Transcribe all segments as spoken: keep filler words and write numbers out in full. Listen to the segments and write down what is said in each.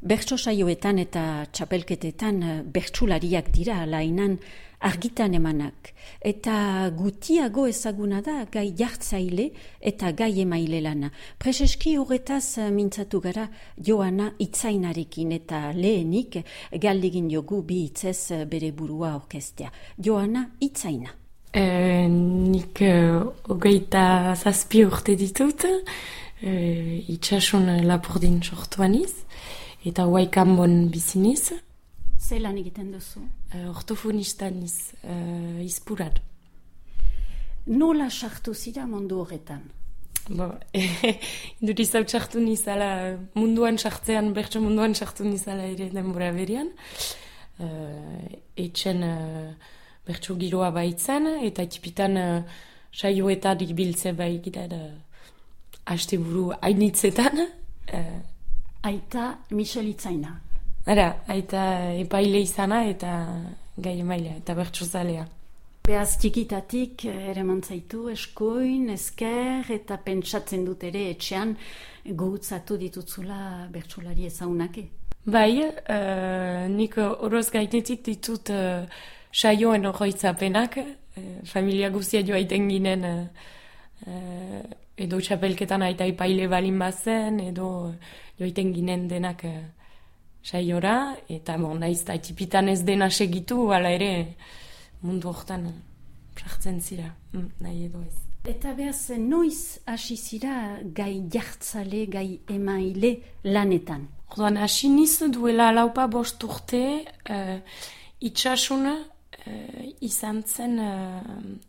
Bertso saioetan eta txapelketetan bertsulariak dira lainan argitan emanak. Eta gutiago ezaguna da gai jartzaile eta gai emaile lana. Preseski horretaz mintzatu gara Joana Itzainarekin eta lehenik galdegin jogu bi hitzez bere burua orkestea. Joana Itzaina. E, nik uh, hogeita zazpi urte ditut, uh, itxasun Lapurdin sortuaniz. Eta Huaycambon biziniz. Zelan egiten duzu? Uh, ortofonista niz, uh, izpurat. Nola sartu zira mundu horretan? Bo, induriz hau sartu nizala munduan sartzean, bertso munduan sartu nizala ere denbora berian. Uh, etxen uh, bertso giroa baitzen, eta tipitan uh, saioetarik biltze bai gira da haste buru hainitzetan. Uh, Aita Michel Itzaina. Ara, aita epaile izana eta gai emailea eta bertsozalea. Beaz txikitatik ere mantzaitu eskoin, esker eta pentsatzen dut ere etxean guhutzatu ditutzula bertsolari ezaunake. Bai, uh, nik oroz gainetik ditut uh, saioen oroitzapenak, uh, familia guzia joa iten ginen uh, uh, edo txapelketan aita epaile balin bazen, edo joiten ginen denak uh, saiora, eta bon, naiz da tipitan ez dena segitu, ala ere mundu hortan sartzen zira, mm, nahi edo ez. Eta behaz, noiz hasi zira gai jartzale, gai emaile lanetan? Orduan, hasi niz duela laupa bost urte, uh, itxasun uh, izan zen uh,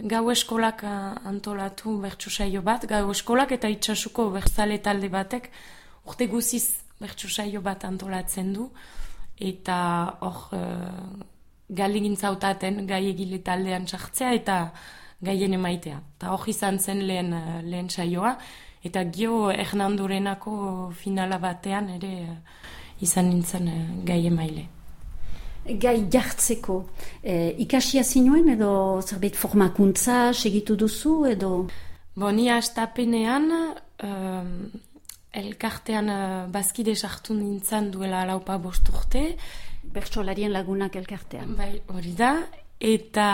gau eskolak antolatu bertso saio bat, gau eskolak eta itxasuko bertzale talde batek urte guziz bertso saio bat antolatzen du, eta hor uh, galegintza hautaten gai egile taldean sartzea eta gaien emaitea. Eta hor izan zen lehen, uh, lehen saioa, eta gio Hernandorenako finala batean ere uh, izan nintzen uh, gai emaile. Gai jartzeko, e, ikasia zinuen edo zerbait formakuntza segitu duzu edo? Bo, ni hastapenean um, elkartean uh, bazkide sartu nintzen duela laupa bost urte. Bertsolarien lagunak elkartean. Bai, hori da, eta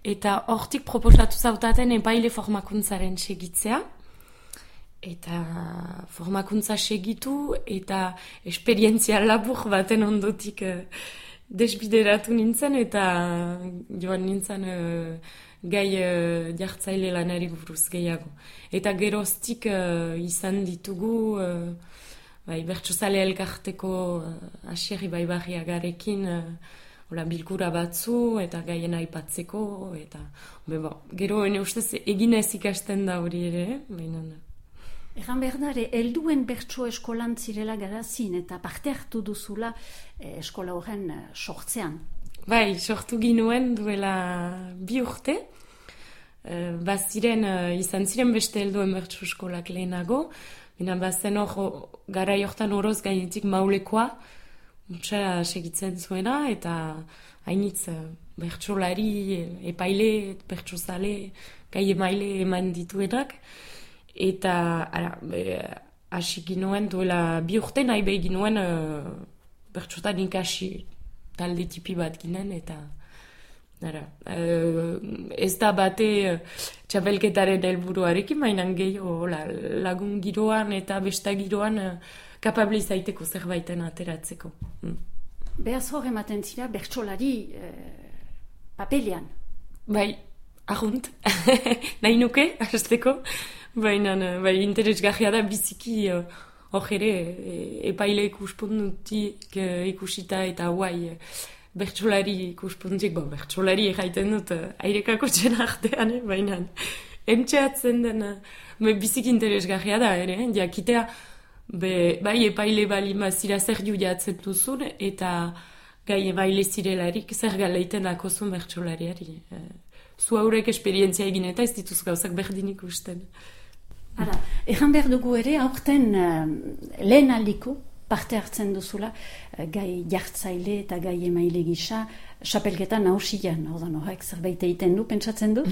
eta hortik proposatu zautaten epaile formakuntzaren segitzea. Eta formakuntza segitu eta esperientzia labur baten ondotik uh, desbideratu nintzen eta joan nintzen uh, gai uh, jartzaile lanari buruz gehiago. Eta geroztik uh, izan ditugu uh, bai, bertsozale elkarteko uh, asierri baibarriagarekin uh, Ola, bilkura batzu eta gaien aipatzeko eta bo, gero ene ustez eginez ikasten da hori ere, baina da. Egan behar dara, helduen bertso eskolan zirela garazin eta parte hartu duzula eh, eskola horren eh, sortzean. Bai, sortu ginuen duela bi urte. Eh, baziren, eh, izan ziren beste helduen bertso eskolak lehenago. Bina bazen hor, gara jortan oroz gainetik maulekoa, mutsa segitzen zuena, eta hainitz eh, bertsolari, epaile, bertsozale, gai emaile eman dituenak. Eta ara, hasi ginoen duela bi urte nahi behi ginoen uh, bertsotan ikasi talde tipi bat ginen eta ara, uh, ez da bate uh, txapelketaren helburuarekin mainan gehiago lagun giroan eta besta giroan uh, kapable izaiteko zerbaiten ateratzeko. Mm. Behaz hor ematen zira bertsolari uh, papelean? Bai, ahunt, nahi nuke, hasteko. Baina, bai, interesgarria da biziki hor ere epaile ikuspuntutik ikusita eta guai bertsolari ikuspuntutik, bo, bertsolari erraiten dut airekako txen artean, baina entxeatzen den biziki interesgarria da ere, jakitea be, bai epaile bali mazira zer judiatzen duzun eta gai epaile zirelarik zer galeiten dakozun bertsolariari. Zu haurek esperientzia egin eta ez dituz gauzak berdin ikusten. Ara, egan behar dugu ere, aurten uh, lehen aldiko parte hartzen duzula uh, gai jartzaile eta gai emaile gisa xapelketan nausian, ordan horrek zerbait egiten du, pentsatzen du?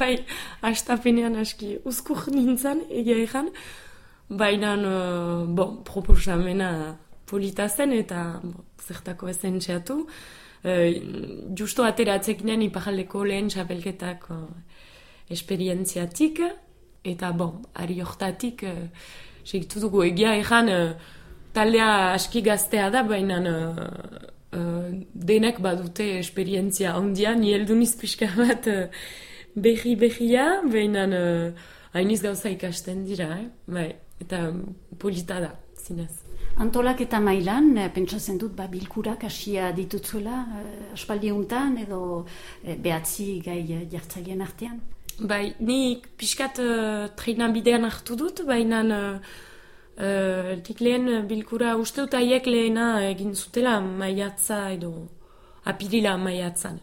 Bai, hastapenean aski uzkur nintzen, egia egan, baina uh, bon, proposamena polita zen eta bon, zertako ezen txeatu. Uh, justo ateratzekinen iparaldeko lehen txapelketak uh, esperientziatik, eta bon, ari hortatik uh, segitu dugu egia egan uh, taldea aski gaztea da, baina uh, uh, denek badute esperientzia ondia, ni heldu niz pixka bat uh, behi-behia, baina uh, hainiz gauza ikasten dira, eh? Bai, eta polita da, zinez. Antolak eta mailan, pentsatzen dut, ba, bilkurak hasia ditutzuela, eh, aspaldi untan, edo eh, behatzi gai jartzaileen artean? Bai, nik pixkat uh, treinan bidean hartu dut, baina uh, uh, nik lehen bilkura uste dut haiek lehena egin zutela maiatza edo apirila maiatzan.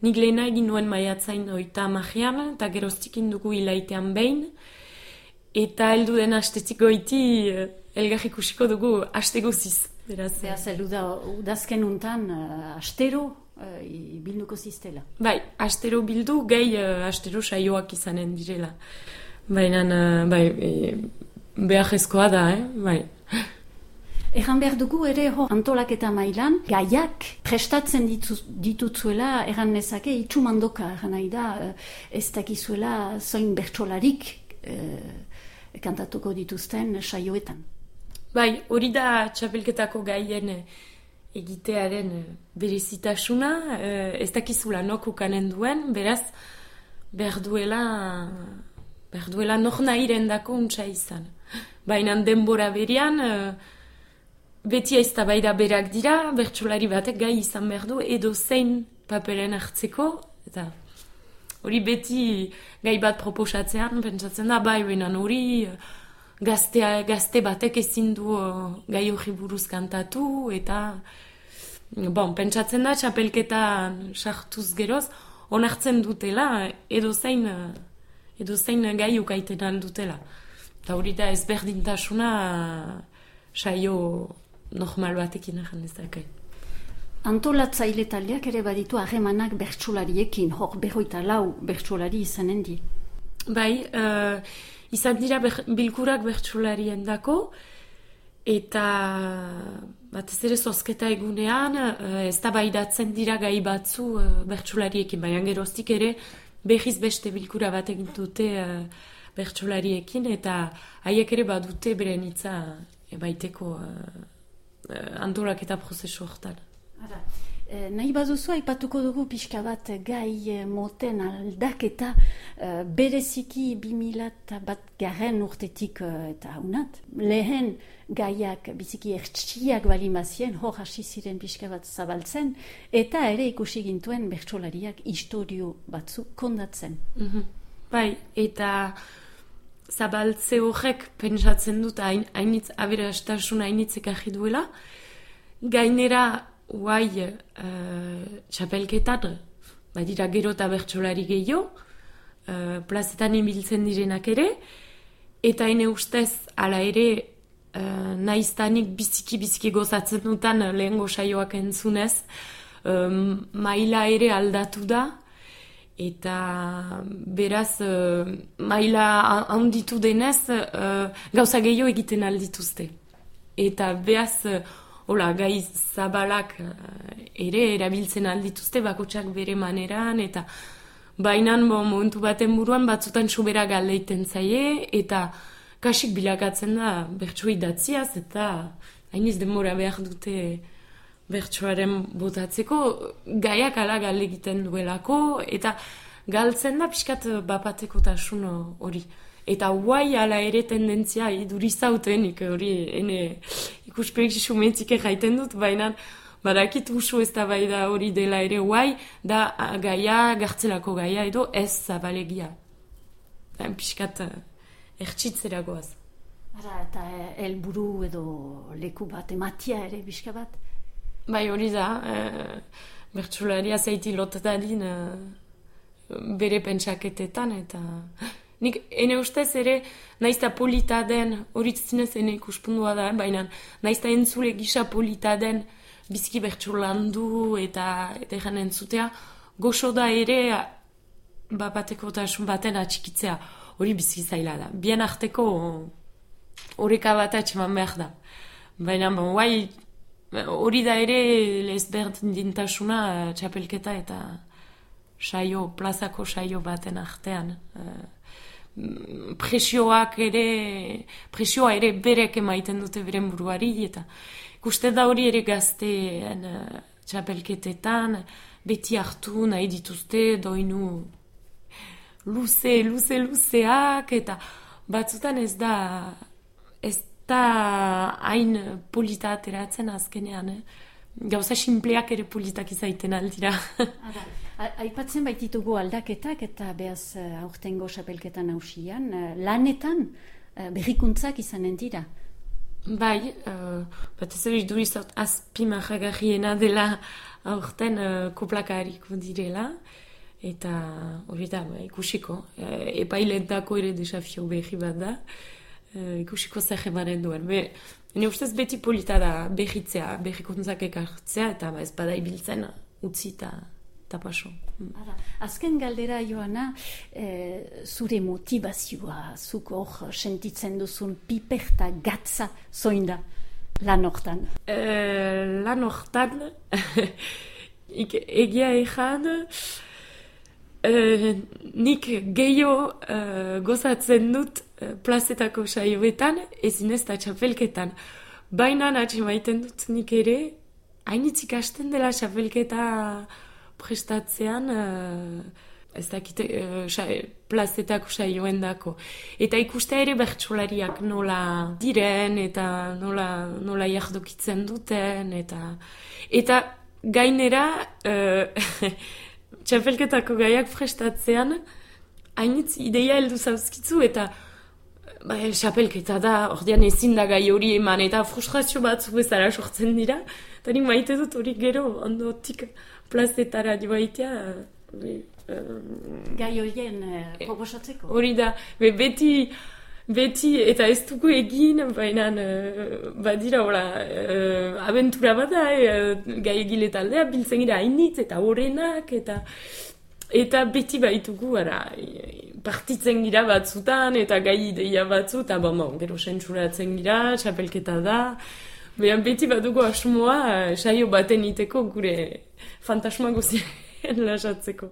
Nik lehena egin nuen maiatzain oita amajean, eta geroztik indugu hilaitean behin, eta heldu den astetik goiti uh, elgar ikusiko dugu aste guziz. Beraz, Beraz, heldu da, udazken untan, uh, astero, uh, bilduko ziztela. Bai, astero bildu, gehi uh, astero saioak izanen direla. Baina, uh, bai, e, behar da, eh? Bai. Erran behar dugu ere hor antolaketa mailan, gaiak prestatzen ditu, ditutzuela, erran nezake, itxumandoka, erran nahi da, ez dakizuela zoin bertsolarik eh, kantatuko dituzten saioetan. Bai, hori da txapelketako gaien egitearen berezitasuna, ez dakizula nok ukanen duen, beraz, behar duela, behar duela nok nahiren dako untsa izan. Baina denbora berian, beti eztabaida berak dira, bertsolari batek gai izan behar du, edo zein paperen hartzeko, eta hori beti gai bat proposatzean, pentsatzen da, bai, baina hori gaztea, gazte batek ezin du uh, gai hori buruz kantatu, eta bon, pentsatzen da, txapelketan sartuz geroz, onartzen dutela, edo zein, edo zein gai ukaiten aldutela. Eta hori da ezberdintasuna saio normal batekin egin dezakai. Antolatzaile taldeak ere baditu harremanak bertsolariekin, hor berroita lau bertsolari izanen di. Bai, uh, izan dira ber, bilkurak bertsolarien dako, eta batez ere zozketa egunean, uh, ez da baidatzen dira gai batzu uh, bertsolariekin, baina geroztik ere behiz beste bilkura bat egin dute uh, bertsolariekin, eta haiek ere badute beren hitza baiteko uh, uh, antolaketa prozesu hortan. Ara, eh, nahi baduzu aipatuko dugu pixka bat gai moten aldaketa eh, bereziki bi mila bat garren urtetik eh, eta haunat. Lehen gaiak biziki ertsiak balimazien, hor hasi ziren pixka bat zabaltzen, eta ere ikusi gintuen bertsolariak historio batzu kondatzen. Mm-hmm. Bai, eta zabaltze horrek pentsatzen dut hain, hainitz aberastasuna hainitzek ahi duela. Gainera, Uai, uh, txapelketan, badira gero eta bertsolari gehiago, uh, plazetan ibiltzen direnak ere, eta ene ustez, ala ere, uh, naiztanik biziki-biziki gozatzen dutan lehengo saioak entzunez, um, maila ere aldatu da, eta beraz, uh, maila handitu denez, uh, gauza gehiago egiten aldituzte. Eta beraz, uh, Hola, gai zabalak ere erabiltzen aldituzte bakotsak bere maneran, eta bainan bo, momentu baten buruan batzutan sobera galdeiten zaie, eta kasik bilakatzen da bertso idatziaz, eta hainiz denbora behar dute bertsoaren botatzeko, gaiak ala galde egiten duelako, eta galtzen da pixkat bapateko tasun hori. Eta guai ala ere tendentzia idurizautenik hori ene ikuspek sumentzik erraiten dut, baina badakit usu ez da bai da hori dela ere guai, da gaia, gartzelako gaia edo ez zabalegia. Piskat ertsitzera goaz. Ara, eta helburu edo leku bat, ematia ere pixka bat? Bai hori da, e, bertsolaria zaiti lotadin e, bere pentsaketetan, eta nik ene ustez ere naizta polita den, horitzinez ene ikuspundua da, baina naizta entzule gisa polita den biziki bertsolandu eta eta egan entzutea, goxo da ere bapateko tasun baten atxikitzea, hori biziki zaila da. Bien arteko horreka bat atxeman behar da. Baina, bon, guai, hori da ere lezberdintasuna txapelketa eta saio, plazako saio baten artean. Presioak ere, presioa ere berek emaiten dute beren buruari, eta ikuste da hori ere gazteen uh, txapelketetan, beti hartu nahi dituzte, doinu luze, luze, luzeak, eta batzutan ez da, ez da hain polita ateratzen azkenean, eh? Gauza sinpleak ere politak izaiten aldira. Aipatzen baititugu aldaketak eta behaz aurtengo txapelketan hausian, lanetan berrikuntzak izanen dira. Bai, uh, bat ez ere duizot azpimarragarriena dela aurten uh, koplakahariko direla, eta hori da, ba, ikusiko, uh, epailetako ere desafio berri bat da, uh, ikusiko zer emanen duen. Be, Ene ustez beti polita da berritzea, berrikuntzak ekartzea, eta ba, ez bada ibiltzen utzi eta paso. Azken galdera, Joana, e, zure motivazioa, zuk hor sentitzen duzun piperta gatza zoin da lan hortan? E, lan hortan, egia ezan, e, nik gehiago e, gozatzen dut plazetako saioetan, ezin ez da txapelketan. Baina natxe maiten dut nik ere, hainitz ikasten dela txapelketa prestatzean, uh, ez dakit uh, sa, plazetako saioen dako. Eta ikustea ere bertsolariak nola diren, eta nola, nola jardokitzen duten, eta, eta gainera, uh, txapelketako gaiak prestatzean, hainitz ideia heldu zauzkitzu, eta ba, xapelketa da, ordean ezin da gai hori eman, eta frustrazio batzu bezala sortzen dira, eta nik maite dut hori gero, ondotik plazetara joaitea. Be, um, gai horien uh, proposatzeko? Hori da, be, beti, beti, eta ez dugu egin, baina uh, badira, hola, uh, abentura bada, uh, gai egile taldea, biltzen gira hainitz, eta horrenak, eta... Eta beti baitugu, ara, partitzen gira batzutan, eta gai ideia batzu, eta bon, bon, gero sentsuratzen gira, txapelketa da. Behan beti badugu asmoa, saio baten iteko gure fantasma guztien lasatzeko.